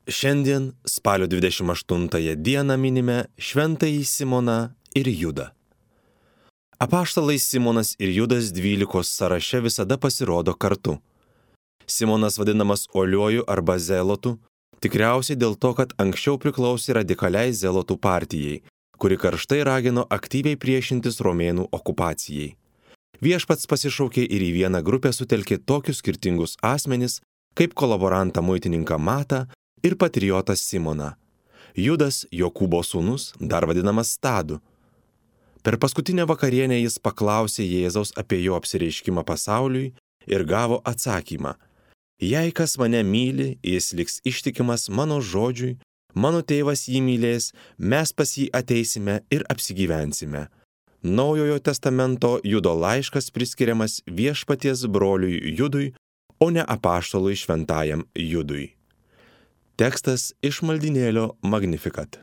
Šiandien, spalio 28 dieną minime Šventąjį Simoną ir Judą. Apaštalai Simonas ir Judas 12 sąraše visada pasirodo kartu. Simonas vadinamas uoliuoju arba zelotu, tikriausiai dėl to, kad anksčiau priklausė radikaliai zelotų partijai, kuri karštai ragino aktyviai priešintis romėnų okupacijai. Viešpats pasišaukė ir į vieną grupę sutelkė tokius skirtingus asmenis, kaip kolaborantą muitininką Matą ir patriotą Simoną. Judas, Jokūbo sūnus, dar vadinamas Tadu. Per paskutinę vakarienę jis paklausė Jėzaus apie jo apsireiškimą pasauliui ir gavo atsakymą: jei kas mane myli, jis liks ištikimas mano žodžiui, mano tėvas jį mylės, mes pas jį ateisime ir apsigyvensime. Naujojo testamento Judo laiškas priskiriamas viešpaties broliui Judui, o ne apaštalui šventajam Judui. Tekstas iš maldynėlio Magnificat.